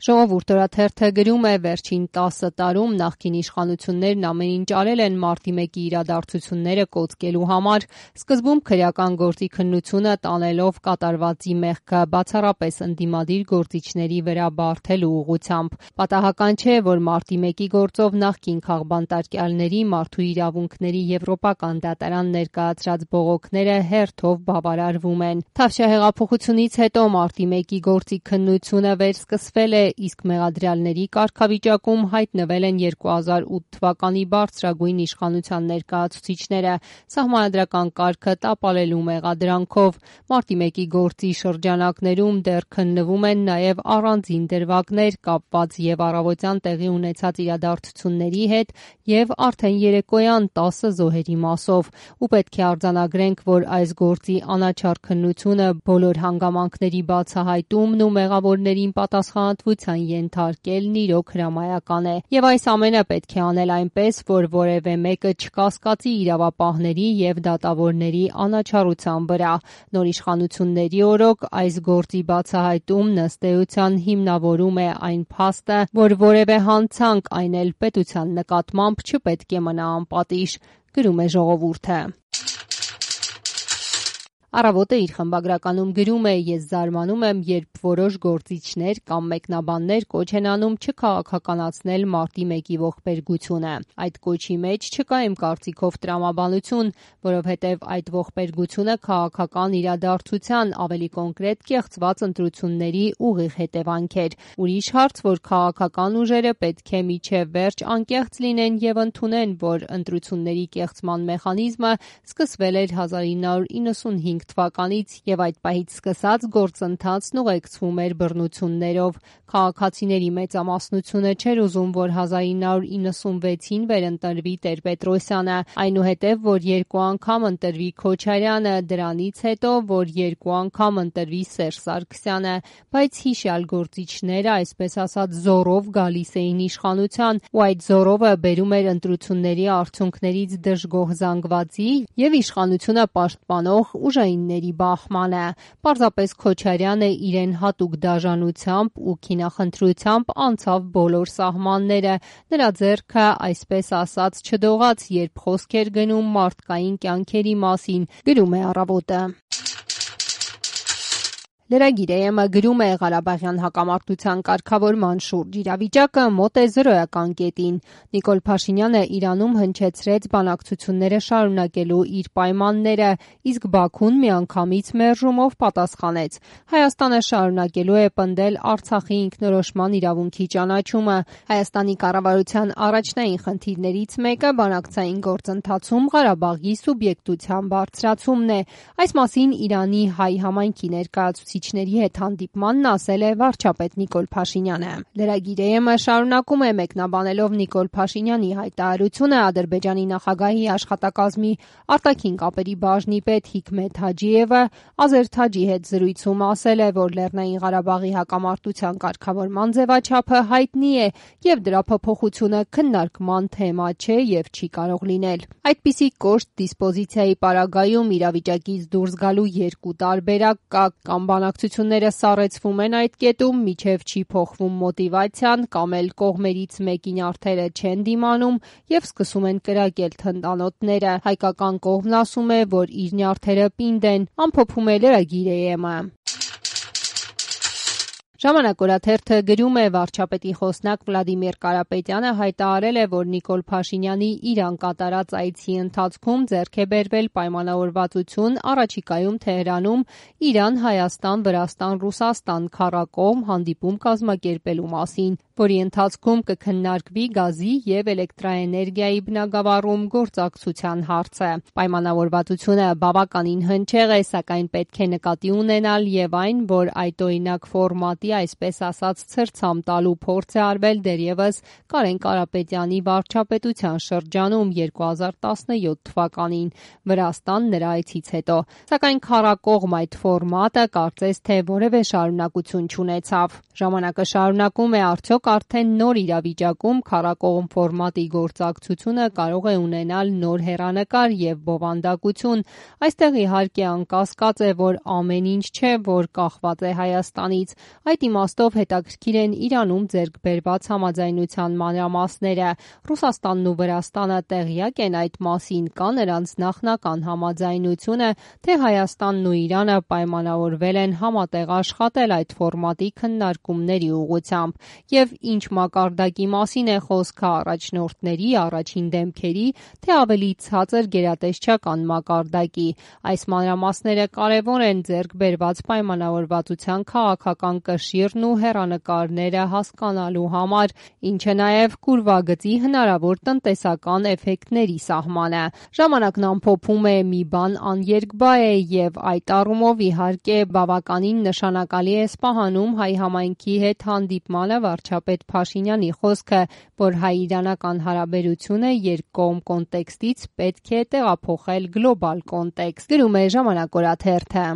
Ժողովուրդ օրաթերթը գրում է վերջին 10 տարում նախկին իշխանություններն ամեն ինչ արել են մարտի 1-ի իրադարձությունները կոծկելու համար, սկզբում քրեական գործի քննությունը տանելով կատարվածի մեղքը բացառապես ընդդիմադիր գործիչների վրա բարդելու ուղղությամբ։ Պատահական չէ, որ մարտի 1-ի գործով նախկին քաղբանտարկյալների մարդու իրավունքների եվրոպական դատարան ներկայացրած բողոքները հերթով բավարարվում են։ Թավշյա հետո մարտի 1-ի գործի քննությունը վերսկսվել է, իսկ մեղադրյալների կարգավիճակում հայտնվել են 2008 թվականի բարձրագույն իշխանության ներկայացուցիչները սահմանադրական կարգը տապալելու մեղադրանքով։ Մարտի 1-ի գործի շրջանակներում դեռ քննվում են նաև առանձին դրվագներ կապված և առավոտյան տեղի ունեցած իրադարձությունների հետ և արդեն երեկոյան 10 զոհերի մասով։ Ու պետք է արձանագրենք, որ այս գործի անաչառ քննությունը բոլոր հանգամանքների բացահայտումն ու մեղավորներին պատասխանատվության ենթարկելն իրոք հրամայական է։ Եվ այս ամենը պետք է անել այնպես, որ որևէ մեկը չկասկածի իրավապահների և դատավորների անաչառության վրա։ Նոր իշխանությունների օրոք այս գործի բացահայտումն ըստ էության հիմնավորում է այն փաստը, որ որևէ հանցանք, այն էլ պետության նկատմամբ չպետք է մնա անպատիժ, գրում է Ժողովուրդը։ Առավոտը իր խմբագրականում գրում է. «Ես զարմանում եմ, երբ որոշ գործիչներ կամ մեկնաբաններ կոչ են անում չքաղաքականացնել մարտի 1-ի ողբերգությունը։ Այդ կոչի մեջ չկա իմ կարծիքով տրամաբանություն, որովհետև այդ ողբերգությունը քաղաքական իրադարձության, ավելի կոնկրետ կեղծված ընտրությունների ուղիղ հետևանք էր։ Ուրիշ հարց, որ քաղաքական ուժերը պետք է մինչև վերջ անկեղծ լինեն և ընդունեն, որ ընտրությունների կեղծման մեխանիզմը սկսվել էր 1995 թվականից և այդ պահից սկսած գործընթացն ուղեկցվում էր բռնություններով։ Քաղաքացիների մեծամասնությունը չէր ուզում, որ 1996-ին վերընտրվի Տեր-Պետրոսյանը, այնուհետև, որ 2 անգամ ընտրվի Քոչարյանը, դրանից հետո, որ 2 անգամ ընտրվի Սերժ Սարգսյանը, բայց հիշյալ գործիչները, այսպես ասած, զոռով գալիս էին իշխանության ու այդ զոռովը բերում էր ընտրությունների արդյունքներից դժգոհ զանգվածի և իշխանությունը պաշտպանող ուժայինների բախմանը։ Պարզապես Քոչարյանը իրեն հատուկ դաժանությամբ ու քինախնդրությամբ անցավ բոլոր սահմանները, նրա ձեռքը, այսպես ասած, չդողաց, երբ խոսք էր գնում մարդկային կյանքերի մասին, գրում է Առավոտը։ Lragir.am-ը գրում է. Ղարաբաղյան հակամարտության կարգավորման շուրջ իրավիճակը մոտ է զրոյական կետին։ Նիկոլ Փաշինյանը Իրանում հնչեցրեց բանակցությունները շարունակելու իր պայմանները, իսկ Բաքուն միանգամից մերժումով պատասխանեց. Հայաստանը շարունակելու է պնդել Արցախի ինքնորոշման իրավունքի ճանաչումը։ Հայաստանի կառավարության առաջնային խնդիրներից մեկը բանակցային գործընթացում Ղարաբաղի սուբյեկտության բարձրացումն է։ Այս մասին Իրանի հայ համայնքի ներկայացուցիչների հետ հանդիպմանն ասել է վարչապետ Նիկոլ Փաշինյանը։ Lragir.am-ը շարունակում է մեկնաբանելով Նիկոլ Փաշինյանի հայտարարությունը Ադրբեջանի նախագահի աշխատակազմի արտաքին կապերի բաժնի պետ Հիկմեթ Հաջիևը Ազեր Թաջի հետ զրույցում ասել է, որ Լեռնային Ղարաբաղի հակամարտության կարգավորման ձևաչափը հայտնի է և դրա փոփոխությունը քննարկման թեմա չէ և չի կարող լինել։ Այդպիսի կոշտ դիսպոզիցիայի պարագայում իրավիճակից դուրս գալու երկու տարբերակ կա, կամ բանակցությունները սառեցվում են այդ կետում, մինչև չի փոխվում մոտիվացիան, կամ էլ կողմերից մեկի նյարդերը չեն դիմանում և սկսում են կրակել թնդանոթները։ Հայկական կողմն ասում է, որ իր նյարդերը պինդ են, ամփոփում է Lragir.am-ը։ Ժամանակ օրաթերթը գրում է. վարչապետի խոսնակ Վլադիմիր Կարապետյանը հայտարարել է, որ Նիկոլ Փաշինյանի Իրան կատարած այցի ընթացքում ձեռք է բերվել պայմանավորվածություն առաջիկայում Թեհրանում Իրան, Հայաստան, Վրաստան, Ռուսաստան քառակողմ հանդիպում կազմակերպելու մասին, որի ընթացքում կքննարկվի գազի և էլեկտրաէներգիայի բնագավառում գործակցության հարցը։ Պայմանավորվածությունը բավականին հնչեղ է, սակայն պետք է նկատի ունենալ և այն, որ այդօրինակ ֆորմատի, այսպես ասած, ցրցամ տալու փորձ է արվել դեռևս Կարեն Կարապետյանի վարչապետության շրջանում 2017 թվականին Վրաստան նրա այցից հետո։ Սակայն քառակողմ այդ ֆորմատը կարծես թե որևէ շարունակություն չունեցավ։ Ժամանակը շարունակում է, արդյոք արդեն նոր իրավիճակում քառակողմ ֆորմատի գործակցությունը կարող է ունենալ նոր հեռանկար և բովանդակություն։ Այստեղ իհարկե անկասկած է, որ ամեն ինչ չէ, որ կախված է Հայաստանից։ Այդ Այդ իմաստով հետաքրքիր են Իրանում ձեռք բերված համաձայնության մանրամասները։ Ռուսաստանն ու Վրաստանը տեղյակ են այդ մասին, կա նրանց նախնական համաձայնությունը, թե Հայաստանն ու Իրանը պայմանավորվել են համատեղ աշխատել այդ ֆորմատի քննարկումների ուղղությամբ, եւ ինչ մակարդակի մասին է խոսքը առաջնորդների, առաջին դեմքերի, թե ավելի ցածր գերատեսչական մակարդակի։ Այս մանրամասները կարևոր են ձեռք բերված պայմանավորվածության քաղաքական կշիռն ու հեռանկարները հասկանալու համար, ինչը նաև կուրվագծի հնարավոր տնտեսական էֆեկտների սահմանը։ Ժամանակն ամփոփում է՝ մի բան աներկբա է եւ այդ առումով իհարկե բավականին նշանակալի է Սպահանում հայ համայնքի հետ հանդիպմանը վարչապետ Փաշինյանի խոսքը, որ հայ-իրանական հարաբերությունը երկկողմ կոնտեքստից պետք է տեղափոխել գլոբալ կոնտեքստ, գրում է Ժամանակ օրաթերթը։